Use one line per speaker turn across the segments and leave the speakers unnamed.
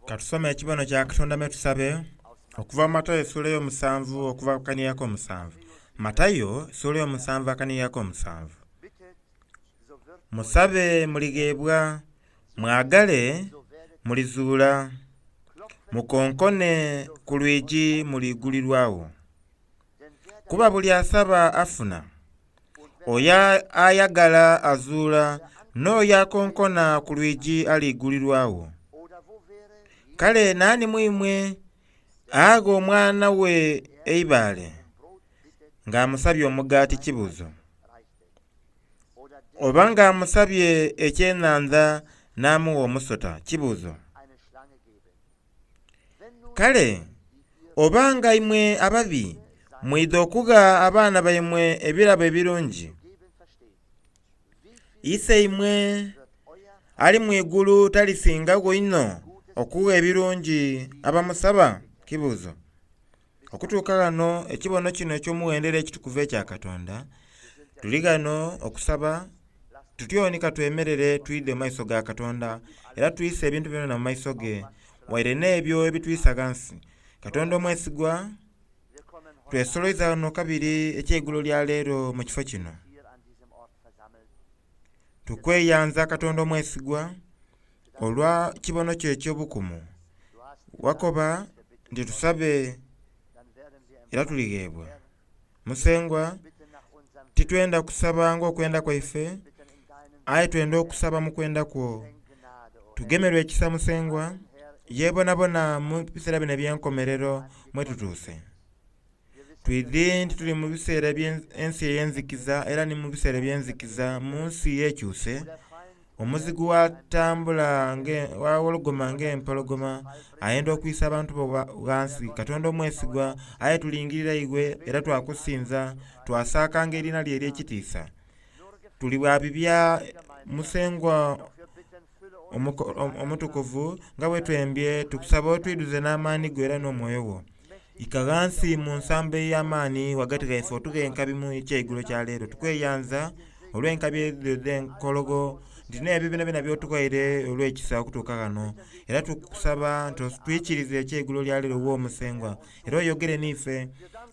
Ka tusome ekibono kya Katonda me tusabe, okuva mu Matayo essuula ey'omusanvu okuva ku kanhiriri ak'omusanvu. Matayo essuula ey'omusanvu akanhiriri ak'omusanvu. Musabe muligheebwa, mwagale mulizuula, mukonkone ku lwigi muliigulirwagho. Kuba buli asaba afuna, oyo ayagala azuula, n'oyo akonkona ku lwigi aliigulirwagho. Kale naani mu imwe agha omwana we eibaale ng'amusabye omugaati kibuuzo, oba ng'amusabye ekyenhandha n'amugha omusota kibuuzo? Kale oba nga imwe ababi mwidha okugha abaana baimwe ebirabo ebirungi, Iseimwe ali mu igulu talisingagho inho okugha ebirungi abamusaba? Kibuuzo. Okutuuka ghano ekibono kino eky'omughendo era ekitukuvu ekya Katonda, tuli ghano okusaba tutyoni ka twemerere twidhe mu maiso ga Katonda era twise ebintu byonayona mu maiso ge, waire n'ebyo ebitwisa ghansi. Katonda omwesigwa, twesoloiza ghano kabiri ekyeigulo lya leero mu kifo kino. Tukweyanza Katonda omwesigwa olwa kibono kyo eky'obukumu. Wakoba nti tusabe era tuligheebwa. Musengwa, titwenda kusaba ng'okwenda kwaife, aye twenda okusaba mu kwenda kwo. Tugemerwe ekisa Musengwa, ye bonabona mu biseera bino eby'enkomerero mwe tutuuse. Twidhi nti tuli mu biseera eby'ensi ey'enzikiza era ni mu biseera eby'enzikiza mu nsi ekyuse. Omuzigu watambula wawologoma ng'empologoma, ayenda okwisa abantu bo ghansi. Katonda omwesigwa, aye tulingirira iwe era twakusinza, twasaakanga eriina lyo ery'ekitiisa. Tuli bwa bibya Musengwa omutukuvu nga bwe twembye, tukusaba otwidhuze n'amaani go era n'omwoyo gwo. Ika ghansi mu nsambo ey'amaani ghagati ghaife otughe enkabi mu ekyeigulo kya leero. Tukweyanza olw'enkabi edho edh'enkologho nti n'ebyo byonabyona by'otughaire olw'ekisa okutuuka ghano. Era tukusaba nti otwikirize ekyeigulo lya leero wo Musengwa, era oyogere n'ife.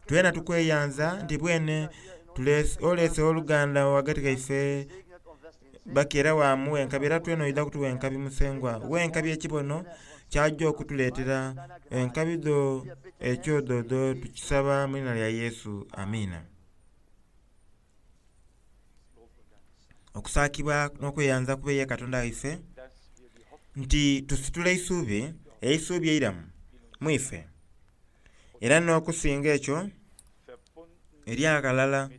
Twena tukweyanza nti bwene oleese oluganda ghagati ghaife Baki era waamugha enkabi era twena oidha kutugha enkabi Musengwa. Gha enkabi ekibono ky'aja okutuleetera. Enkabi dho ekyo dho dho tukisaba mu liina lya Yesu. Amiina. Okusaakibwa n'okweyanza kube ye Katonda waife nti tusitula eisuubi, eisuubi eiramu mu ife. Era n'okusinga ekyo, eri aghalala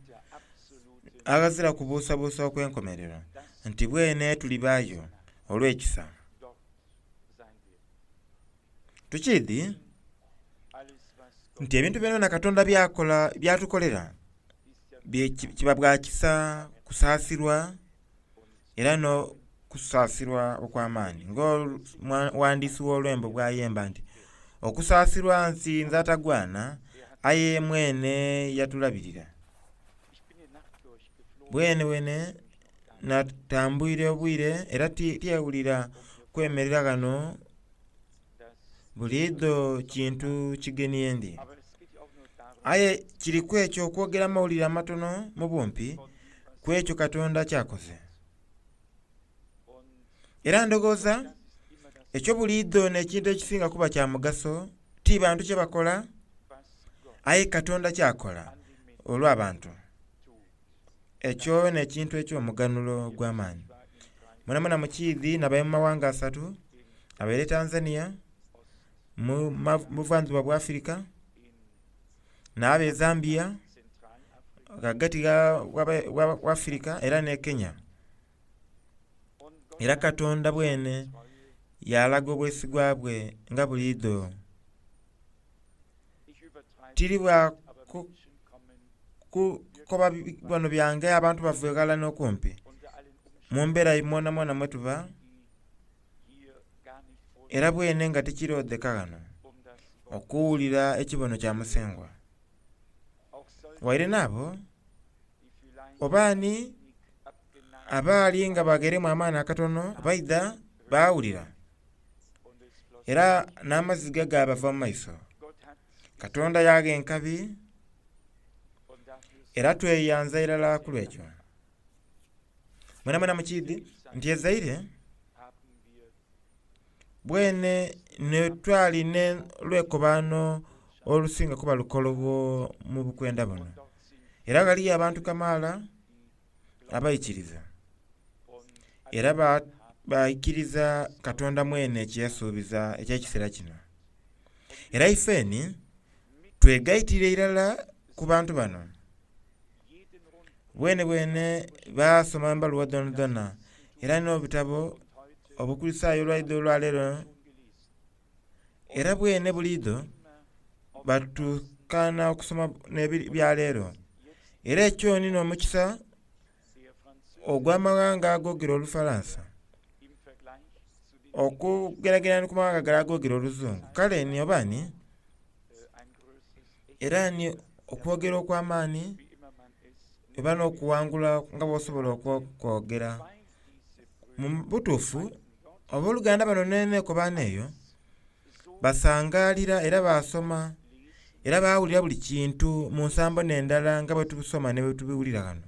aghazira kubuusabuusa okw'enkomerero, nti bwene tulibaayo olw'ekisa. Tukiidhi nti ebintu byonabyona Katonda by'akola by'atukolera kiba bwa kisa, kusaasirwa era n'okusaasirwa okw'amaani. Ng'omughandiisi w'olwembo bw'ayemba nti, Okusaasirwa nsi nze atagwana, aye mwene yatulabirira. Bwenebwene natambwire obwire era tyewulira kwemerera ghano buliidho kintu kigeni ye ndi. Aye kiriku ekyo okwogera amawulire amatono mu bumpi ku ekyo Katonda ky'akoze. Era ndhoghoza ekyo buliidho n'ekintu ekisinga kuba kya mugaso, ti bantu kye bakola, aye Katonda ky'akola olw'abantu. Ekyo n'ekintu eky'omuganhulo ogw'amaani. Mwenamwena mukiidhi nabaire mu mawanga asatu, nabaire Tanzania, mu buvandhuba bwa Afirika, naaba e Zambia, ghagati gha Afirika era n'e Kenya. Era Katonda bwene yalaga obwesigwa bwe nga buliidho. Tiri bwa kukoba bibono byange abantu bava eghala n'okumpi. Mu mbeera mwonamwona mwe tuba, era bwene nga tikiroodheka ghano okuwulira ekibono kya Musengwa. Waire n'abo oba ani abaali nga bagheeremu amaani akatono baidha baawulira. Era n'amaziga gaabava mu maiso. Katonda yaagha enkabi era tweyanza irala ku lw'ekyo. Mwenamwena mukiidhi nti e Zaire bwene twali n'olwekobaano olusinga kuba lukologho mu bukwenda buno. Era ghaliyo abantu kamaala abaikiriza era baikiriza Katonda mwene kye yasuubiza eky'ekiseera kino. Era ifeni twegaitire irala ku bantu bano. Bwenebwene baasoma embaluwa dhoonadhoona era n'obutabo Obukulisitaayo olwaidho olwaleero era bwene buliidho batukaana okusoma n'ebyaleero. Era ekyo ni n'omukisa ogw'amaghanga agoogera Olufalansa okugeragerana ku mawanga gale agoogera Oluzungu. Kale ni oba ni era ni okwogera okw'amaani oba n'okuwangula nga bw'osobola okwogera. Mu butuufu abooluganda bano n'enkobaano eyo basangaalira era baasoma era baawulira buli kintu mu nsambo n'endala nga bwe tubisoma ni bwe tubiwulira ghano.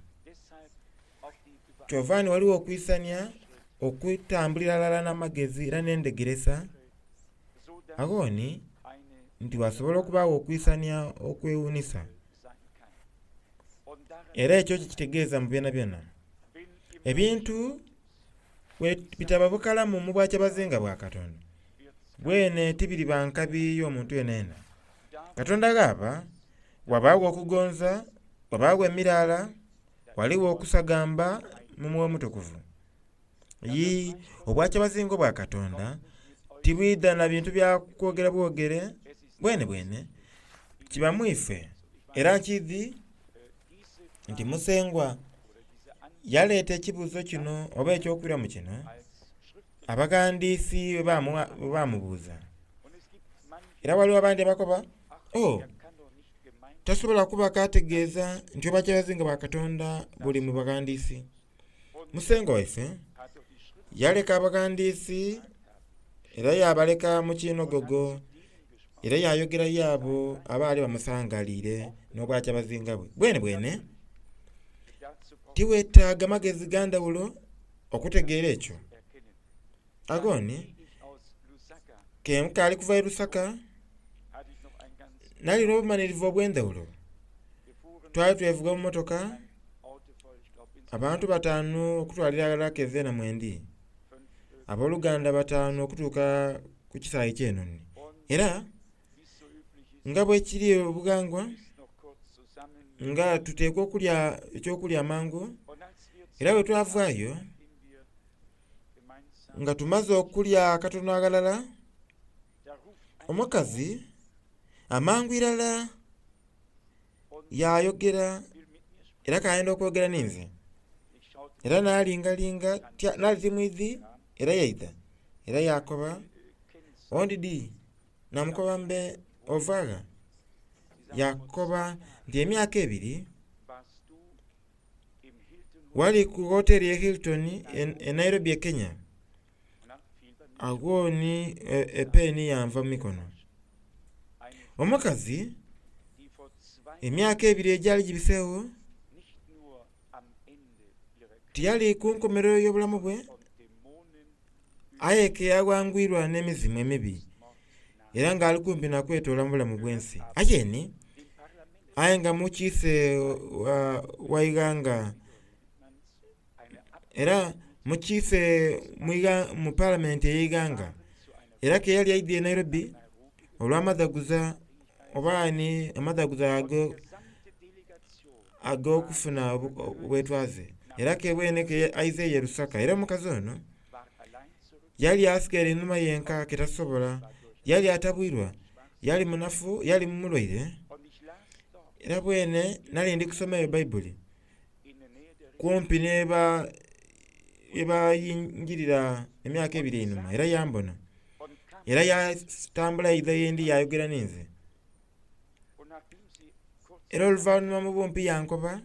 Kyova ni ghaligho okwisania, okutambulira ghalala n'amagezi era n'endhegeresa, agho ni nti ghasobola okubaagho okwisania okwewuunhisa. Era ekyo kye kitegeeza mu byonabyona. Ebintu bwe bitaba bukalamu mu bwakyabazinga bwa Katonda, bwene tibiriba nkabi y'omuntu yenayena. Katonda ghaba, ghabaagho okugonza, ghabaagho emiraala, ghaligho okusagamba mu Mwoyo Mutukuvu. Yii, obwakyabazinga obwa Katonda tibwidha na bintu bya kwogera bwogere bwenebwene, kiba mu ife. Era nkiidhi nti Musengwa yaleeta ekibuuzo kino oba eky'okwiramu kino abaghandiisi bwe baamubuuza. Era ghaligho abandi abakoba, "Oh, tasobola kuba k'ategeeza nti obwakyabazinga bwa Katonda buli mu baghandiisi." Musengwa waife yaleka abaghandiisi era yaabaleka mu kinhogogo era yaayogera y'abo abaali bamusangaliire n'obwakyabazinga bwe. Bwenebwene tiweetaaga magezi ga ndhawulo okutegeera ekyo. Agho ni ke nkaali kuva e Lusaka nali n'obumanhirivu obw'endhawulo. Twali twevuga mu mmotoka abantu bataanu okutwalira aghalala keeze na mwendi, abooluganda bataanu okutuuka ku kisaawe ky'enhonhi. Era nga bwekiri obughangwa nga tuteekwa okulya eky'okulya amangu, era bwe twavaayo nga tumaze okulya akatono aghalala, omukazi amangu irala yayogera era k'ayenda okwogera ninze. Era nalingalinga nali timwidhi era yaidha era yakoba, "Ondidhi?" Namukoba mbe ova gha? Yakoba nti emyaka ebiri wali ku woteri e Hilton e Nairobi e Kenya. Agho ni epeeni yanva mu mikono. Omukazi emyaka ebiri egyali gibiseegho tiyali ku nkomerero y'obulamu bwe aye ke yaghangwirwa n'emizimu emibi era nga ali kumpi na kwetoola mu bulamu bw'ensi. Aye ni aye nga mukiise wa ighanga era mukiise mu palamenti ey'eighanga era ke yali aidhye e Nairobi olw'amadhaguza oba ni amadhaguza ago ag'okufuna obwetwaze era ke bwene ke aizeeyo e Lusaka. Era omukazi ono yali asigaire inhuma yenka ke tasobola, yali atabwirwa, yali munafu, yali mulwaire. Era bwene nali ndi kusoma eyo Baibuli kumpi n'ebayingirira emyaka ebiri einhuma era yambona era yatambula yaidha yendi yayogera ninze. Era oluvanhuma mu bumpi yankoba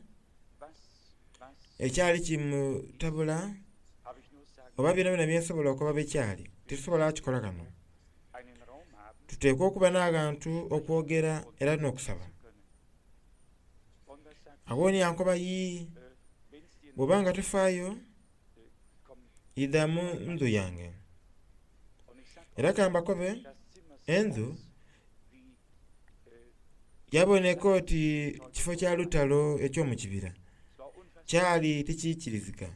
ekyali kimutabula oba byonabyona byensobola okoba byekyali titusobola kukikola ghano. Tuteekwa okuba n'abantu okwogera era n'okusaba. Agho ni yankoba, Yii, bw'oba nga tofaayo, idha mu ndhu yange. Era ka mbakobe, endhu yaboneka oti kifo kya lutalo eky'omu kibira. Kyali tikiikirizika.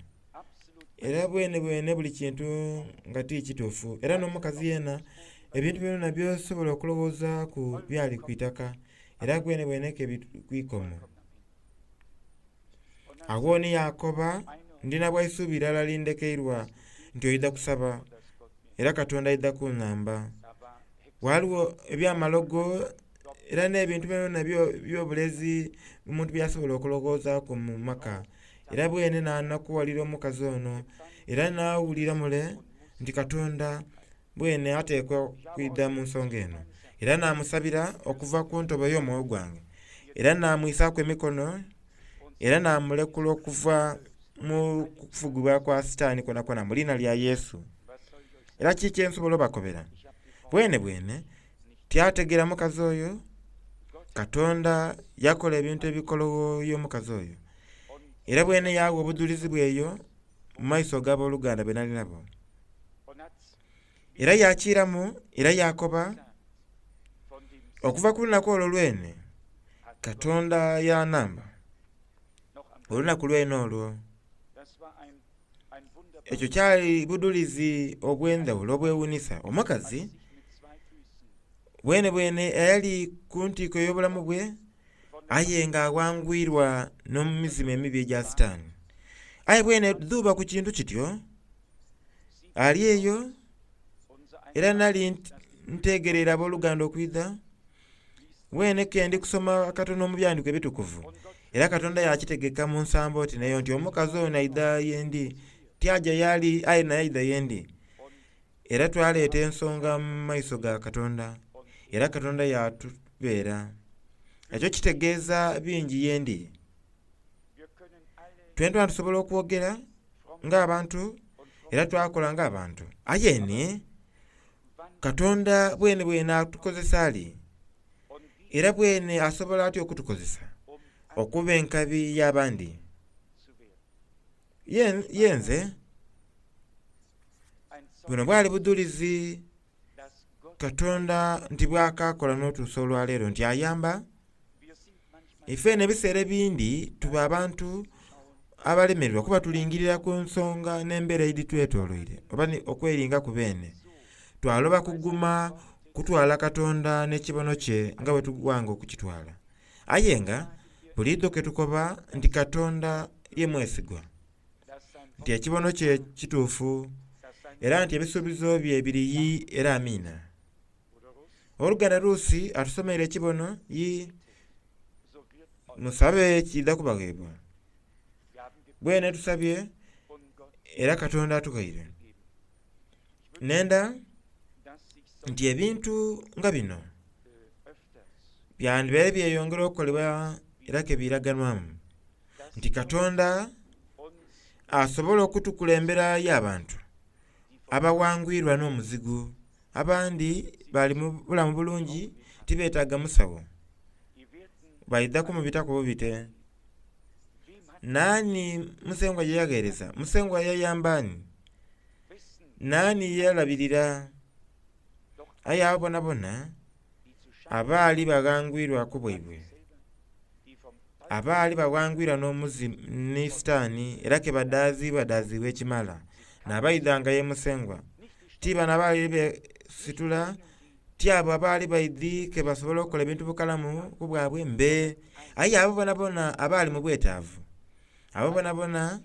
Era bwenebwene buli kintu nga ti kituufu. Era n'omukazi yeena ebintu byonabyona by'osobola okulowoozaaku byali ku itaka era bwenebwene ke biri ku ikomo. Agho ni yaakoba, Ndi na bwa isuubi irala lindekeirwa nti oidha kusaba era Katonda aidha kunhamba. Ghaligho eby'amalogo era n'ebintu byonabyona eby'obulezi omuntu by'asobola okulowoozaaku mu maka. Era bwene naanakuwalira omukazi ono era naawulira mule nti Katonda bwene ateekwa okwidha mu nsonga eno. Era naamusabira okuva ku ntobo ey'omwoyo gwange, era naamwisaaku emikono, era naamulekula okuva mu kufugibwa kwa Sitaani kwonakwona mu liina lya Yesu. Era kiki kye nsobola obakobera? Bwenebwene tyategeera mukazi oyo. Katonda yakola ebintu ebikologho y'omukazi oyo. Era bwene yaagha obudhulizi bwe eyo mu maiso g'aboluganda be nali nabo. Era yaakiiramu era yaakoba, Okuva ku lunaku olwo lwene, Katonda yaanhamba. Olunaku lwene olwo. Ekyo kyali budhulizi obw'endhaghulo obwewuunhisa. Omukazi bwenebwene eyali ku ntiiko ey'obulamu bwe aye nga aghangwirwa n'emizimu emibi egya Sitaani. Aye bwene dhuuba ku kintu kityo, ali eyo, era nali ntegereire aboluganda okwidha, bwene ke ndi kusoma katono mu Byandiiko Ebitukuvu, era Katonda yaakitegeka mu nsambo oti n'eyo nti omukazi ono aidha ye ndi. Tyaja y'ali aye naye aidha ye ndi. Era twaleeta ensonga mu maiso ga Katonda, era Katonda yaatubeera. Ekyo kitegeeza bingi ye ndi. Twentwena tusobola okwogera ng'abantu era twakola ng'abantu. Aye ni Katonda bwenebwene atukozesa ali? Era bwene asobola atya okutukozesa okuba enkabi y'abandi? Ye nze, buno bwali budhulizi Katonda nti bw'akaakola n'otuusa olwaleero nti ayamba. Ife eno ebiseera ebindi tuba abantu abalemererwa kuba tulingirira ku nsonga n'embeera edhitwetoloire oba okweringaku beene. Twaloba kuguma kutwala Katonda n'ekibono kye nga bwe tugwanga okukitwala. Aye nga buliidho ke tukoba nti Katonda ye mwesigwa, nti ekibono kye kituufu, era nti ebisuubizo bye biri yii era amiina. Owoluganda Ruusi atusomeire ekibono yii. Musabe kiidha kubagheebwa. Bwene tusabye era Katonda atughaire. Nenda nti ebintu nga bino byandibaire byeyongera okukolebwa era ke biiraganwamu nti Katonda asobola okutukulembera y'abantu abawangwirwa n'omuzigu. Abandi bali mu bulamu bulungi tibeetaaga musawo, baidha kumubitaku bubite. Naani Musengwa ye yagheereza? Musengwa yayamba ani? Naani ye yalabirira? Aye abo bonabona abaali baghangwirwa ku bwaibwe, abaali baghangwirwa n'omuzimu ni Sitaani era ke badaaziibwadaazibwa ekimala, n'abaidhanga ye Musengwa. Ti bano abaali beesitula, ti abo abaali baidhi ke basobola okukola ebintu bukalamu ku bwabwe, mbe. Aye abo bonabona abaali mu bwetaavu, abo bonabona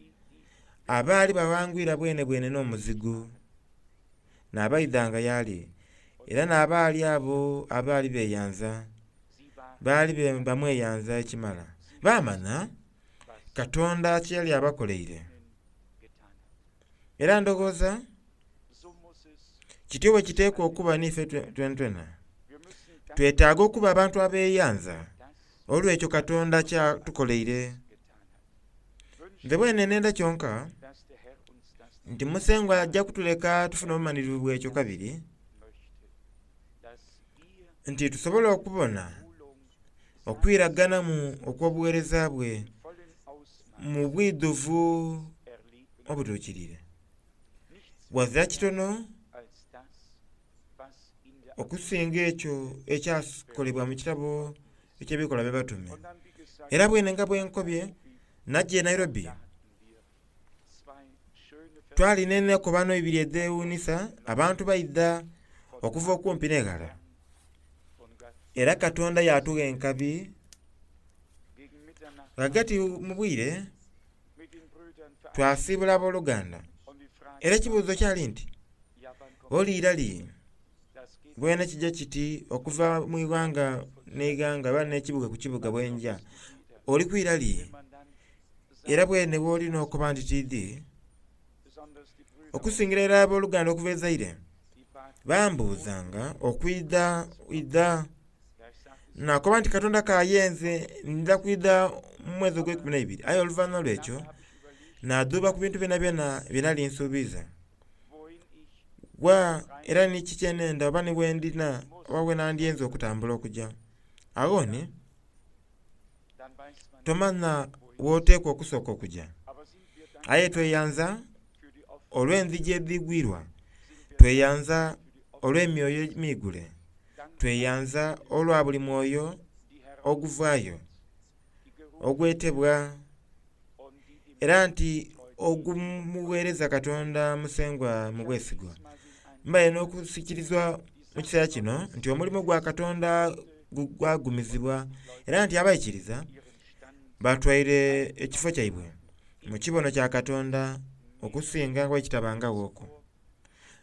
abaali baghangwirwa bwenebwene n'omuzigu, n'abaidhanga y'ali, era n'abaali abo abaali beeyanza, baali bamweyanza ekimala. Baamanha Katonda kye yali abakoleire. Era ndhoghoza kityo bwe kiteekwa okuba n'ife twenatwena. Twetaaga okuba abantu abeeyanza olw'ekyo Katonda ky'atukoleire. Nze bwene nenda kyonka nti Musengwa aja kutuleka tufune obumanhirivu bw'ekyo kabiri. Nti tusobole okubona okwiraganamu okw'obuweereza bwe mu bwidhuvu obutuukiriire. Ghazira kitono okusinga ekyo ekyakolebwa mu kitabo eky'Ebikolwa by'Abatume. Era bwene nga bwe nkobye, naja e Nairobi, twalina enekobano ibiri edhewuunhisa, abantu baidha okuva okumpi n'eghala. Era Katonda yatugha enkabi ghagati mu bwire twasiibula abooluganda. Era ekibuuzo kyali nti, oliira li? Bwene kija kiti okuva mu ighanga n'eighanga oba n'ekibuga ku kibuga bwenja, oli kwira li? Era bwene bw'oli n'okoba nti tiidhi, okusingira irala abooluganda okuva e Zaire bambuuzanga okwidha idha. Nakoba nti Katonda k'ayenze ndidha kwidha mu mwezi ogweikumi n'eibiri. Aye oluvanhuma lw'ekyo naadhuuba ku bintu byonabyona bye nali nsuubiiza. Wa era ni kiki kye nenda oba ni bwendina oba bwe nandyenze okutambula okuja. Agho ni tomanha w'oteekwa okusooka okuja. Aye tweyanza olw'endhigi edhigwirwa, tweyanza olw'emyoyo emiigule, tweyanza olwa buli mwoyo oguvaayo, ogwetebwa, era nti ogumugheereza Katonda Musengwa mu bwesigwa. Mbaire n'okusikirizibwa mu kiseera kino nti omulimo gwa Katonda gwagumizibwa era nti abaikiriza batwaire ekifo kyaibwe mu kibono kya Katonda okusinga nga bwekitabangaghoku.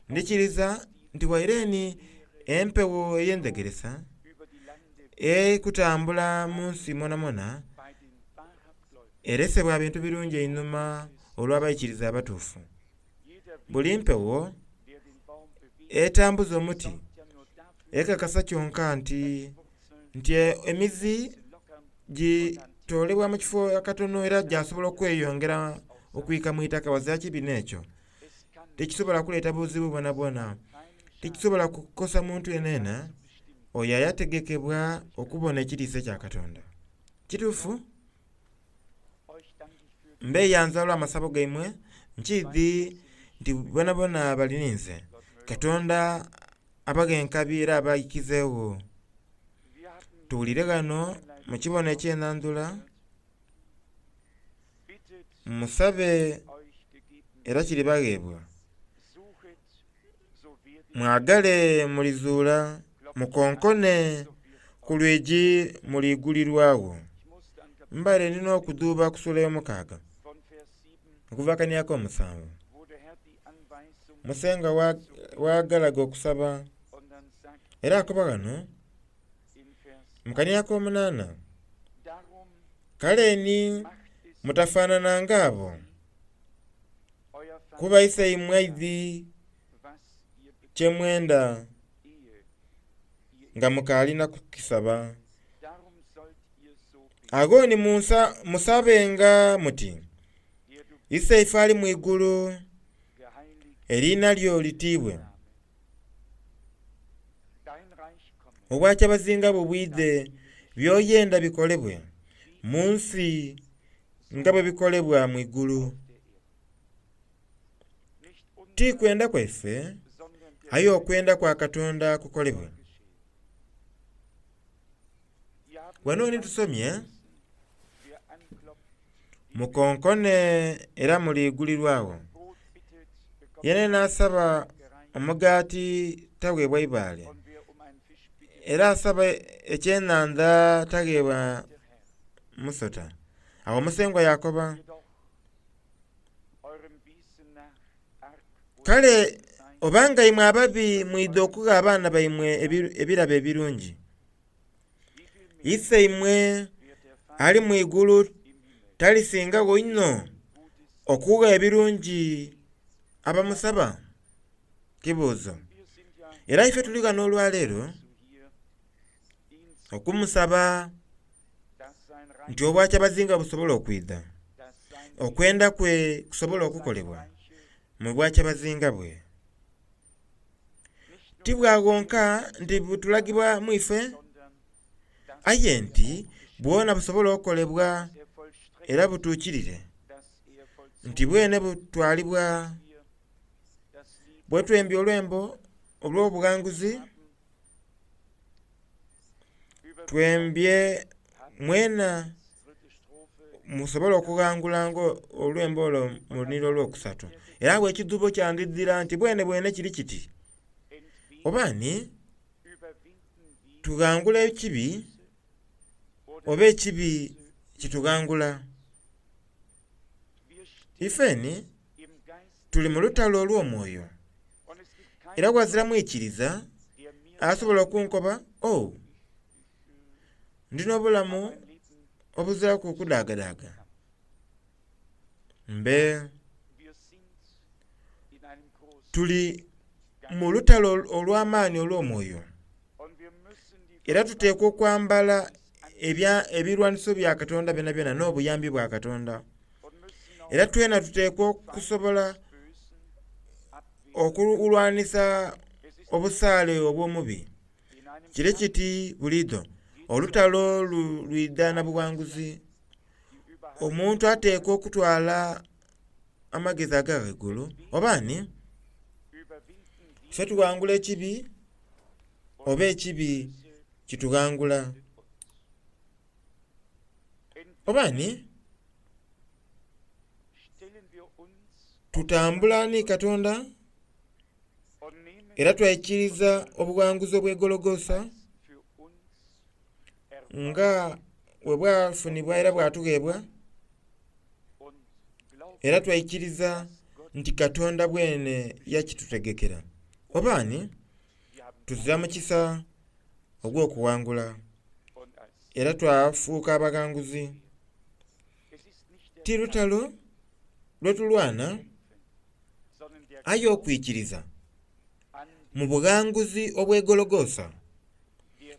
Ndhikiriza nti waire ni empewo ey'endhegeresa ekutambula mu nsi mwonamwona erese bwa bintu birungi einhuma olw'abaikiriza abatuufu. Buli mpewo etambuza omuti ekakasa kyonka nti nti emizi gitoolebwa mu kifo akatono era gyasobola okweyongera okwika mu itaka ghazira kibi n'ekyo. Tikisobola kuleeta buzibu bwonabwona, tikisobola kukosa muntu yenayena oyo ayategekebwa okubona ekitiisa ekya Katonda. Kituufu? Mbeeyanza olw'amasabo gaimwe, nkiidhi nti bonabona bali ninze. Katonda abaghe enkabi era abaikizeegho. Tuwulire ghano mu kibono eky'enhandhula, musabe era kiribagheebwa, mwagale mulizuula, mukonkone ku lwigi muliigulirwagho. Mbaire ndi n'okudhuuba ku sula ey'omukaaga okuva akania ak'omusanvu. Musengwa w'agalaga okusaba era akoba ghano mu kania ak'omunaana, Kale ni mutafaanana ng'abo, kuba Iseimwe aidhi kye mwenda nga mukaali na kukisaba. Agho ni musabenga muti, Iseife ali mu igulu, eriina lyo litiibwe. Obwakyabazinga bwo bwidhe, by'oyenda bikolebwe mu nsi nga bwe bikolebwa mu igulu. Ti kwenda kwaife, aye okwenda kwa Katonda kukolebwe. Ghano ni tusomye, Mukonkone era muliigulirwagho. Yenayena asaba omugaati tagheebwa ibaale, era asaba ekyenhandha tagheebwa musota. Agho Musengwa yaakoba, Kale oba nga imwe ababi mwidha okugha abaana baimwe ebirabo ebirungi, Iseimwe ali mu igulu talisingagho inho okugha ebirungi abamusaba? Kibuuzo. Era ife tuli ghano olwaleero okumusaba nti obwakyabazinga busobole okwidha, okwenda kwe kusobole okukolebwa mu bwakyabazinga bwe. Ti bwa ghonka nti butulagibwa mu ife, aye nti bwona busobola okukolebwa era butuukirire, nti bwene butwalibwa bwetwembya olwembo olw'obughanguzi, twembye mwena musobole okughangula nga olwembo olwo mu lunhiliri olwokusatu. Era agho ekidhubo kyandidhira nti bwene bwene kiri kiti, oba ni tughangula ekibi oba ekibi kitughangula. Ifeni tuli mu lutalo olw'omwoyo, era ghazira mwikiriza asobola okunkoba, oh, ndi n'obulamu obuziraku kudaagadaaga. Mbe tuli mu lutalo olw'amaani olw'omwoyo, era tuteekwa okwambala ebirwaniso bya Katonda byonabyona n'obuyambi bwa Katonda. Era twena tuteekwa okusobola okulwanisa obusaale obw'omubi. Kire kiti buliidho olutalo lwidha na bughanguzi. Omuntu ateekwa okutwala amagezi aga ghaigulu oba ni ife tughangula ekibi oba ekibi kitughangula. Oba ni tutambula ni Katonda era twaikiriza obughanguzi obw'e Gologosa nga bwe bwafunibwa era bwatugheebwa, era twaikiriza nti Katonda bwene yakitutegekera. Oba ni tuzira mukisa ogw'okughangula era twafuuka abaghanguzi. Ti lutalo lwetulwana, aye okwikiriza mu bughanguzi obw'e Gologosa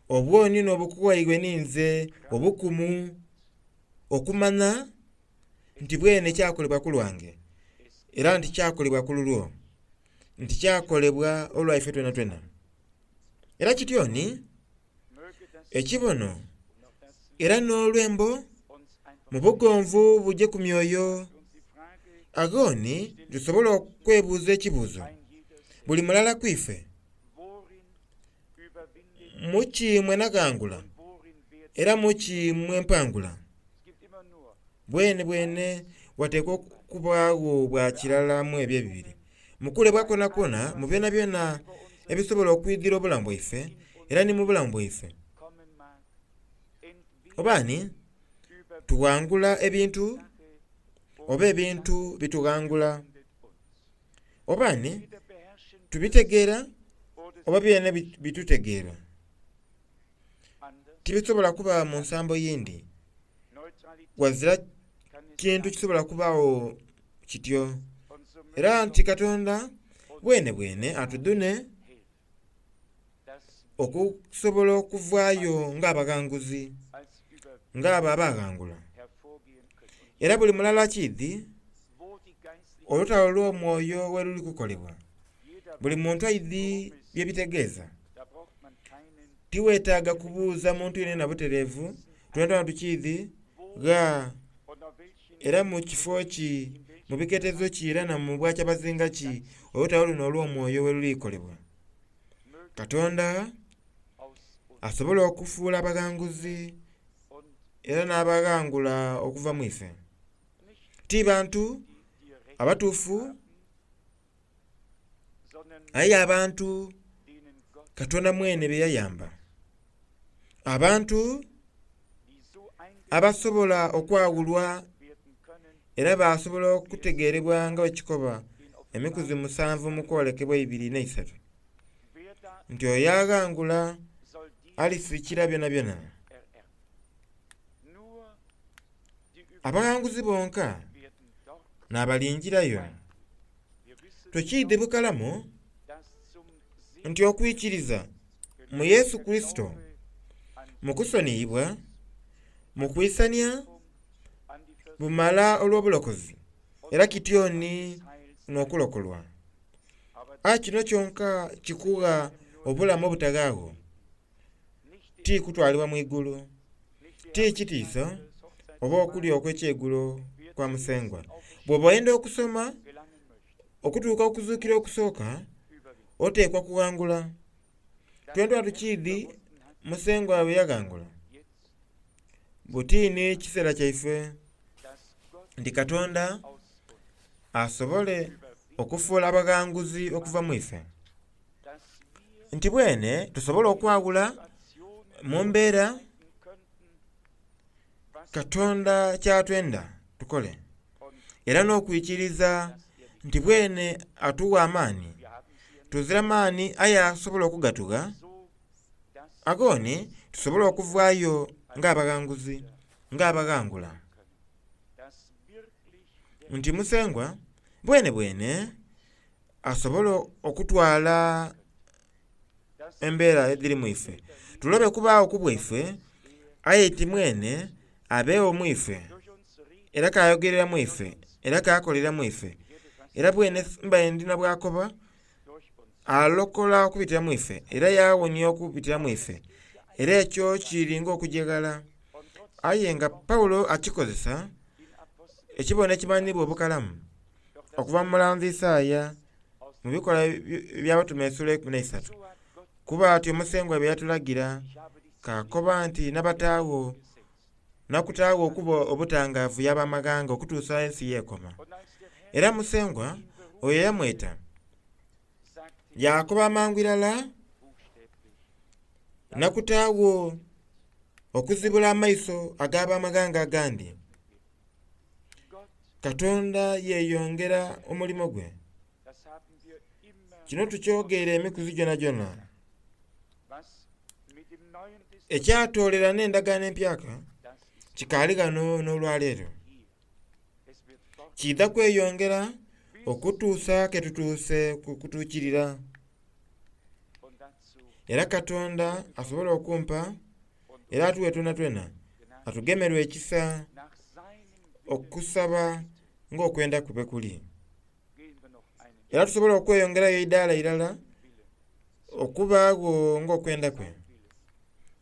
obwoni n'obukuwaibwe ninze obukumu okumanya nti bwene kyakolebwa ku lwange era nti kyakolebwa ku lulwo, nti kyakolebwa olwaife twenatwena. Era kityo ni ekibono era n'olwembo mu bugonvu buje ku myoyo. Agho ni tusobola okwebuuza ekibuuzo buli mulala ku ife, muki mwe naghangula era muki mwe mpangula? Bwene bwene wateekwa okubaagho bwa kirala mu ebyo ebibiri. Mukulebwa kwonakwona mu byonabyona ebisobola okwidhira obulamu bwaife era ni mu bulamu bwaife. Oba ni tughangula ebintu oba ebintu bitughangula. Oba ni tubitegeera oba byene bitutegeera. Tibisobola kuba mu nsambo yindi. Ghazira kintu kisobola kubaagho kityo. Era nti Katonda bwene bwene atudhune okusobola okuvaayo ng'abaghanguzi, ng'abo abaghangula. Era buli mulala akiidhi olutalo olw'omwoyo ghe luli kukolebwa. Buli muntu aidhi bye bitegeeza. Tiweetaaga kubuuza muntu yenayena butereevu, twenatwena tukiidhi gha era mu kifo ki, mu biketezo ki era na mu bwakyabazinga ki olutalo luno olw'omwoyo ghe luli kolebwa. Katonda asobola okufuula abaghanguzi era n'abaghangula okuva mu ife. Ti bantu abatuufu aye abantu Katonda mwene be yayamba. Abantu abasobola okwawulwa era basobola okutegeerebwa nga bwekikoba emikuzi musanvu mu kwolekebwa eibiri n'eisatu nti oyo aghangula alisikira byonabyona. Abaghanguzi bonka n'abalingirayo. Tukiidhi bukalamu nti okwikiriza mu Yesu Kurisito mu kusoniyibwa, mu kwisania, bumala olw'obulokozi era kityo ni n'okulokolwa. Aye kino kyonka kikugha Obulamu obutaghaagho ti kutwalibwa mu igulu, ti kitiiso oba okulya okw'ekyeigulo kwa Musengwa. Bw'oba oyenda okusoma okutuuka okuzuukira okusooka, oteekwa kughangula. Twena tukiidhi Musengwa bwe yaghangula. Buti ni kiseera kyaife nti Katonda asobole okufuula abaghanguzi okuva mu ife. Nti bwene tusobole okwawula mu mbeera Katonda ky'atwenda tukole, era n'okwikiriza nti bwene atuwa amaani. Tuzira maani aye asobola okugatugha, agoni tusobole okuvaayo ng'abaghanguzi, ng'abaghangula. Nti Musengwa bwene bwene asobole okutwala embeera edhiri mu ife. Tulobe kubaagho ku bwaife, aye ti mwene abeegho mu ife, era k'ayogerera mu ife, era k'akolera mu ife. Era bwene mbaire ndina bw'akoba, alokola okubitira mu ife, era yaawonia okubitira mu ife. Era ekyo kiri ng'okujeghala. Aye nga Pawulo akikozesa ekibono ekimanhiibwa obukalamu okuva mu mulanzi Isaaya mu bikolwa eby'Abatume esula eikumi n'eisatu. Kuba atyo Musengwa bye yatulagira, k'akoba nti nabataagho, nakutaagho okuba obutangaavu y'abamaghanga okutuusa ensi y'ekoma. Era Musengwa oyo yamweta, yaakoba mangu irala, nakutaagho okuzibula amaiso ag'abamaghanga agandi. Katonda yeeyongera omulimo gwe. Kino tukyogeire emikuzi gyonagyona. Ekyatoolera n'endagaano empyaka kikaali ghano n'olwaleero. Kiidha kweyongera okutuusa ke tutuuse ku kutuukirira. Era Katonda asobole okumpa era atuwe twenatwena atugemerwe ekisa okusaba ng'okwenda kwe bwe kuli. Era tusobole okweyongerayo eidaala irala okubaagho ng'okwenda kwe.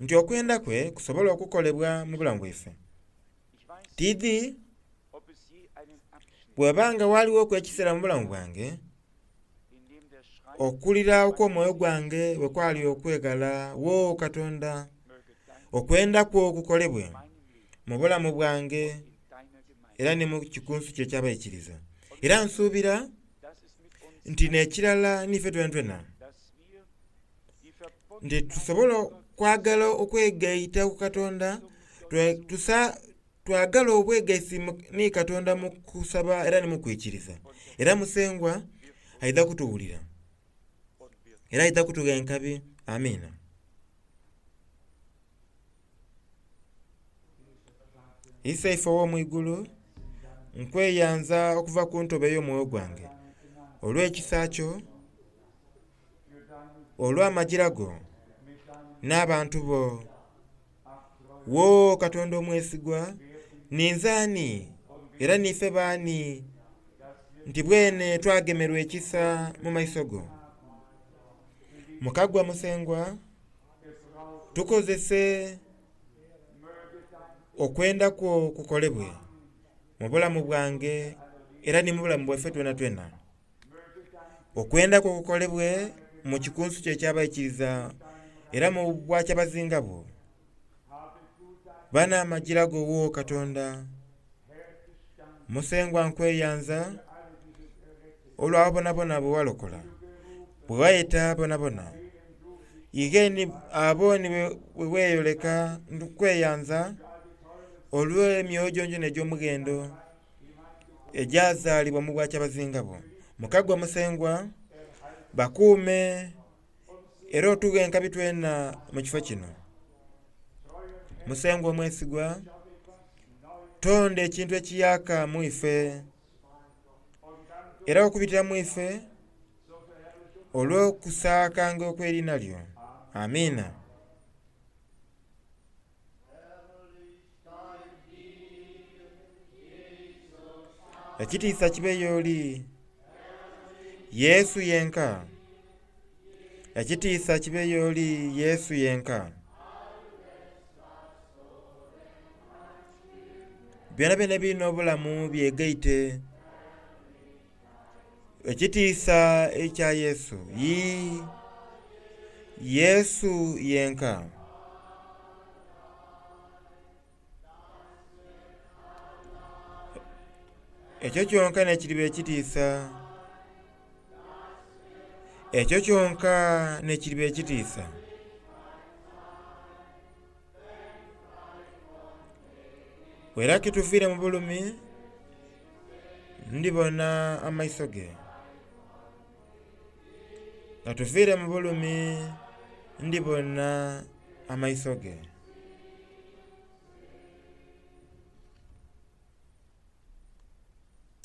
Nti okwenda kwe kusobole okukolebwa mu bulamu bwaife. Tiidhi bweba nga ghalighoku ekiseera mu bulamu bwange okulira okw'omwoyo gwange bwe kwali okweghala, wo Katonda, okwenda kwo kukolebwe mu bulamu bwange era ni mu kikunsu kye eky'abaikiriza. Era nsuubira nti n'ekirala n'ife twenatwena nti tusobole okwagala okwegaita ku Katonda, twagala obwegaisi ni Katonda mu kusaba era ni mu kwikiriza. Era Musengwa aidha kutuwulira era aidha kutugha enkabi. Amiina. Iseife ow'omu igulu, nkweyanza okuva ku ntobo ey'omwoyo gwange olw'ekisa kyo, olw'amajira go n'abantu bo. Wo Katonda omwesigwa, ninze ani era n'ife baani nti bwene twagemerwa ekisa mu maiso go? Mukagwa Musengwa, tukozese okwenda kwo kukolebwe mu bulamu bwange era ni mu bulamu bwaife twenatwena. Okwenda kwo kukolebwe mu kikunsu kyo eky'abaikiriza era mu bwakyabazinga bwo. Ba n'amajira go wo Katonda. Musengwa nkweyanza olw'abo bonabona be walokola, bwe wayeta bonabona. Ighe ni abo ni bwe weeyoleka nkweyanza olw'emyoyo gyongyona egy'omughendo egyazaalibwa mu bwakyabazinga bwo. Mukagwa Musengwa, bakuume era otughe enkabi twena mu kifo kino. Musengwa omwesigwa, tonda ekintu ekiyaaka mu ife era okubitira mu ife olw'okusaakanga okw'eriina lyo. Amiina. Ekitiisa kibe y'oli, Yesu yenka. Ekitiisa kibe y'oli Yesu yenka. Byonabyona ebiri n'obulamu byegaite. Ekitiisa ekya Yesu. Yii, Yesu yenka. Ekyo kyonka n'ekiriba ekitiisa. Ekyo kyonka n'ekiriba ekitiisa. Era kituviire mu bulumi, ndibona amaiso ge. Nga tuviire mu bulumi, ndibona amaiso ge.